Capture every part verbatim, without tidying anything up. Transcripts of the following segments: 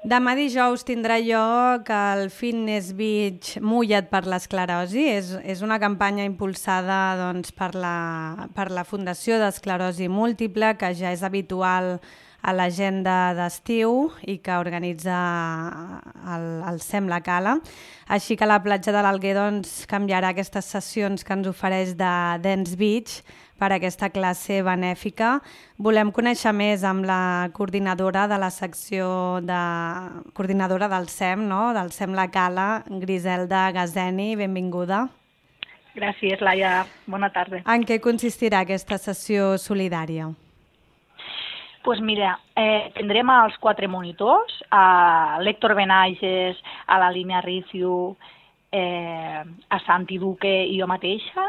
Demà dijous tindrà lloc el Fitness Beach Mulla't per l'esclerosi. És, és una campanya impulsada doncs, per, la, per la Fundació d'Esclerosi Múltiple, que ja és habitual a l'agenda d'estiu i que organitza el, el SEM La Cala. Així que la platja de l'Alguer doncs, canviarà aquestes sessions que ens ofereix de Dance Beach per aquesta classe benèfica. Volem conèixer més amb la coordinadora de la secció de coordinadora del SEM, no? del SEM La Cala, Griselda Gazeni. Benvinguda. Gràcies, Laia. Bona tarda. En què consistirà aquesta sessió solidària? Pues mira, eh, tindrem els quatre monitors, a l'Héctor Benages, a la Línia Ricciu, eh, a Santi Duque i jo mateixa,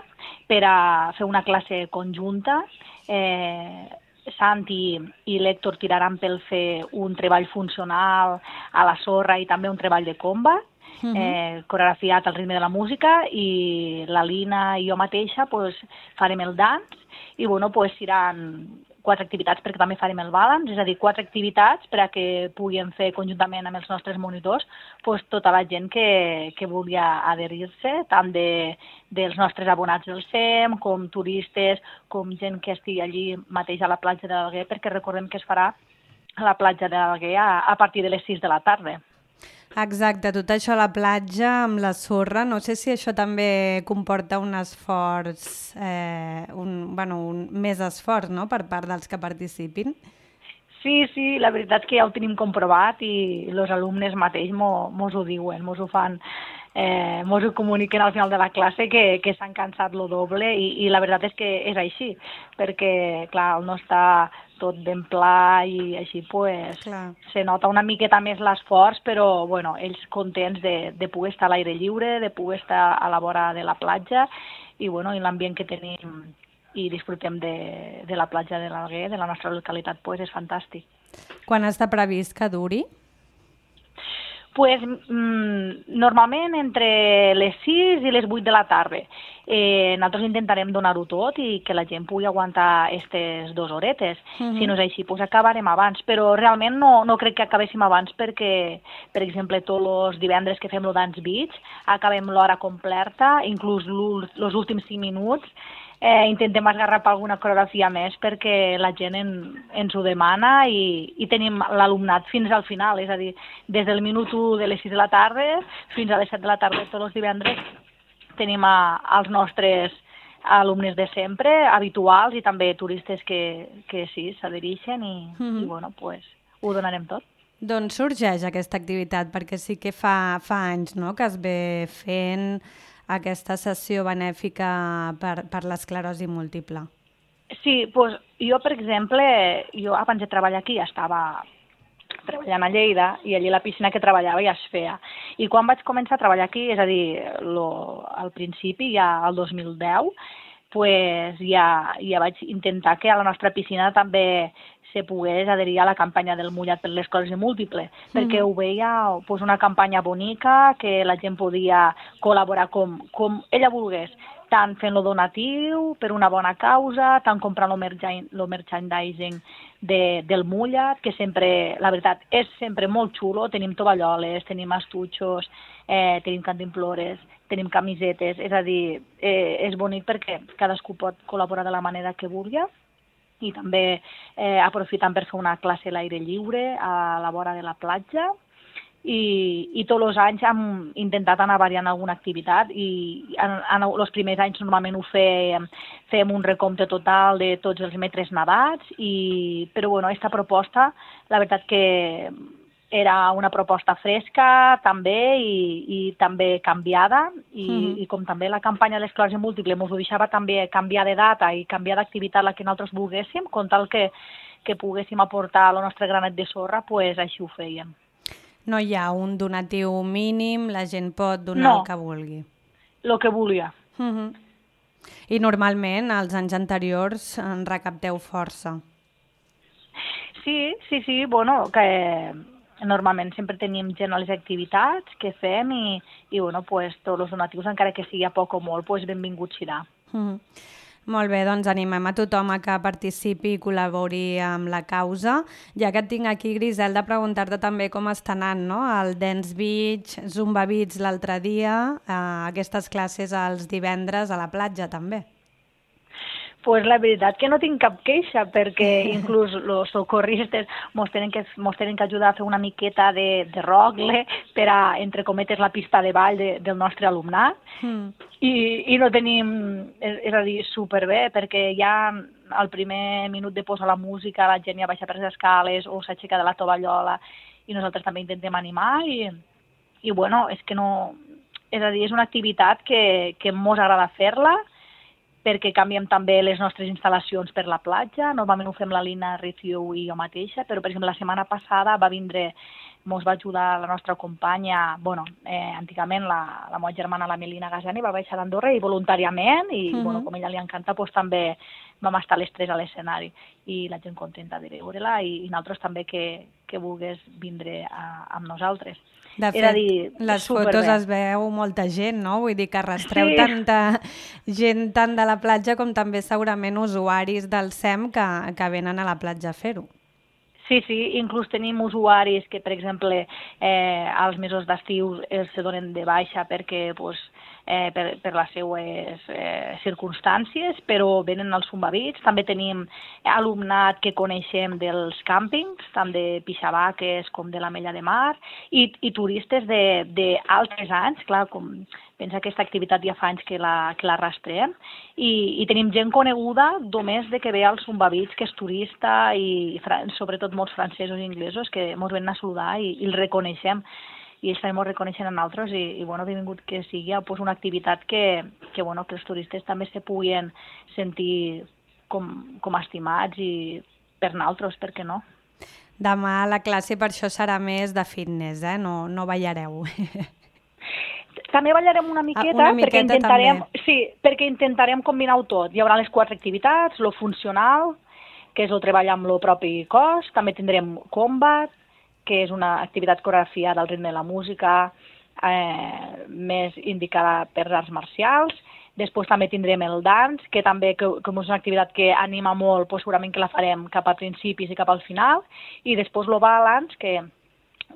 per a fer una classe conjunta. Eh, Santi i l'Héctor tiraran pel fer un treball funcional a la sorra i també un treball de combat, uh -huh. eh, coreografiat al ritme de la música, i la Lina i jo mateixa pues, farem el dance i bueno, pues, seran quatre activitats perquè també farem el balance, és a dir, quatre activitats per a que puguem fer conjuntament amb els nostres monitors pues, tota la gent que, que vulgui adherir-se, tant de, dels nostres abonats del SEM, com turistes, com gent que estigui allí mateix a la platja de l'Alguer, perquè recordem que es farà a la platja de l'Alguer a, a partir de les sis de la tarda. Exacte, tot això a la platja amb la sorra. No sé si això també comporta un esforç, eh, un, bueno, un més esforç, no?, per part dels que participin. Sí, sí, la veritat és que ja ho tenim comprovat i els alumnes mateix mos ho diuen, mos ho fan, eh, mos ho comuniquen al final de la classe que, que s'han cansat lo doble i, i la veritat és que és així, perquè, clar, no està tot ben pla i així pues, se nota una miqueta més l'esforç, però bueno, ells contents de, de poder estar a l'aire lliure, de poder estar a la vora de la platja i, bueno, i l'ambient que tenim i disfrutem de, de la platja de l'Alguer, de la nostra localitat, pues, és fantàstic. Quan està previst que duri? Pues, mm, normalment entre les sis i les vuit de la tarda. Eh, nosaltres intentarem donar-ho tot i que la gent pugui aguantar aquestes dues horetes. Uh-huh. Si no és així, pues acabarem abans. Però realment no, no crec que acabéssim abans perquè, per exemple, tots els divendres que fem el Dance Beach acabem l'hora completa, inclús els últims cinc minuts. Eh, intentem esgarrapar alguna coreografia més perquè la gent en, ens ho demana i, i tenim l'alumnat fins al final, és a dir, des del minut u de les sis de la tarda fins a les set de la tarda tots els divendres tenim a, als nostres alumnes de sempre, habituals i també turistes que, que sí, s'adhereixen i, mm-hmm. i bueno, pues, ho donarem tot. D'on sorgeix aquesta activitat? Perquè sí que fa, fa anys, no?, que es ve fent aquesta sessió benèfica per, per l'esclerosi múltiple. Sí, doncs jo, per exemple, jo abans de treballar aquí estava treballant a Lleida i allí la piscina que treballava ja es feia. I quan vaig començar a treballar aquí, és a dir, lo, al principi, ja al dos mil deu, pues ja, ja vaig intentar que a la nostra piscina també se pogués adherir a la campanya del Mullat per l'esclerosi múltiple, mm. perquè ho veia pues, una campanya bonica, que la gent podia col·laborar com, com ella volgués, tant fent-lo donatiu per una bona causa, tant comprant el merchandising de, del Mullat, que sempre, la veritat, és sempre molt xulo. Tenim tovalloles, tenim estutxos, eh, tenim cantimplores, tenim camisetes, és a dir, eh, és bonic perquè cadascú pot col·laborar de la manera que vulgui i també eh, aprofitant per fer una classe a l'aire lliure a la vora de la platja. I, i tots els anys hem intentat anar variant alguna activitat i en, en els primers anys normalment ho fèiem, fèiem un recompte total de tots els metres nedats, i, però bueno, aquesta proposta, la veritat que era una proposta fresca també i, i també canviada i, mm-hmm. i com també la campanya de l'esclerosi múltiple ens ho deixava també canviar de data i canviar d'activitat la que nosaltres volguéssim, com tal que, que poguéssim aportar el nostre granet de sorra, pues així ho fèiem. No hi ha un donatiu mínim, la gent pot donar no, el que vulgui. el que volia. Uh-huh. I normalment, als anys anteriors, en recapteu força. Sí, sí, sí, bueno, que normalment sempre tenim gent a les activitats que fem i, i bueno, pues, tots els donatius, encara que sigui a poc o molt, pues, benvinguts serà. Uh-huh. Molt bé, doncs animem a tothom a que participi i col·labori amb la causa. Ja que et tinc aquí, Griselda, preguntar-te també com està anant, no? El Dance Beach, Zumba Beach l'altre dia, eh, aquestes classes els divendres a la platja també. Pues la veritat que no tinc cap queixa, perquè inclús els socorristes mos tenen que, mos tenen que ajudar a fer una miqueta de, de rogle per a, entre cometes, la pista de ball de, del nostre alumnat. Mm. I, I no tenim, és, és a dir, superbé, perquè ja al primer minut de posar la música la gent ja baixa per les escales o s'aixeca de la tovallola i nosaltres també intentem animar i, i bueno, és que no... És a dir, és una activitat que, que mos agrada fer-la, perquè canviem també les nostres instal·lacions per la platja. Normalment ho fem la Lina Riccio i jo mateixa, però, per exemple, la setmana passada va vindre, mos va ajudar la nostra companya, bueno, eh, antigament la, la meva germana, la Melina Gasani, va baixar d'Andorra i voluntàriament, i uh-huh. bueno, com a ella li encanta, doncs també vam estar les tres a l'escenari, i la gent contenta de veure-la, i, i nosaltres també que, que vulgués vindre a, amb nosaltres. De fet, dir, les fotos es veu molta gent, no? Vull dir que arrastreu sí. tanta gent tant de la platja com també segurament usuaris del S E M que, que venen a la platja a fer-ho. Sí, sí, inclús tenim usuaris que, per exemple, eh, als mesos d'estiu els se donen de baixa perquè pues, eh, per, per les seues eh, circumstàncies, però venen als Zumba Beach. També tenim alumnat que coneixem dels càmpings, tant de Pixabaques com de l'Ametlla de Mar, i, i turistes d'altres anys, clar, com pensa que aquesta activitat ja fa anys que la, que l'arrastrem, i, i tenim gent coneguda només de que ve al Zumba Beach, que és turista, i sobretot molts francesos i inglesos que ens venen a saludar i, i el reconeixem, i ells també ens reconeixen a nosaltres, i, i bueno, benvingut que sigui pues, una activitat que, que, bueno, que els turistes també se puguin sentir com, com estimats i per nosaltres, per què no? Demà la classe per això serà més de fitness, eh? No, no ballareu. També ballarem una miqueta, ah, una miqueta perquè intentarem, també. Sí, perquè intentarem combinar-ho tot. Hi haurà les quatre activitats, lo funcional, que és el treball amb el propi cos, també tindrem combat, que és una activitat coreografiada al ritme de la música, eh, més indicada per arts marcials. Després també tindrem el dance, que també que, que és una activitat que anima molt, doncs segurament que la farem cap a principis i cap al final. I després el balance, que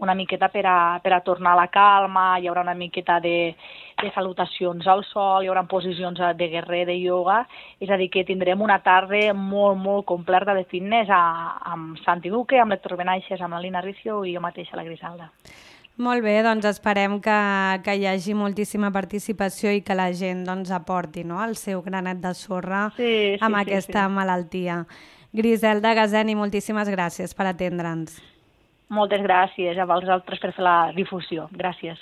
una miqueta per a, per a tornar a la calma, hi haurà una miqueta de, de salutacions al sol, hi haurà posicions de guerrer, de ioga, és a dir, que tindrem una tarda molt, molt completa de fitness a, amb Santi Duque, amb l'Héctor Benaixes, amb la Lina Riccio i jo mateixa, la Griselda. Molt bé, doncs esperem que, que hi hagi moltíssima participació i que la gent doncs, aporti, no?, el seu granet de sorra sí, sí, amb sí, aquesta sí. malaltia. Griselda Gasani, moltíssimes gràcies per atendre'ns. Moltes gràcies a vosaltres per fer la difusió. Gràcies.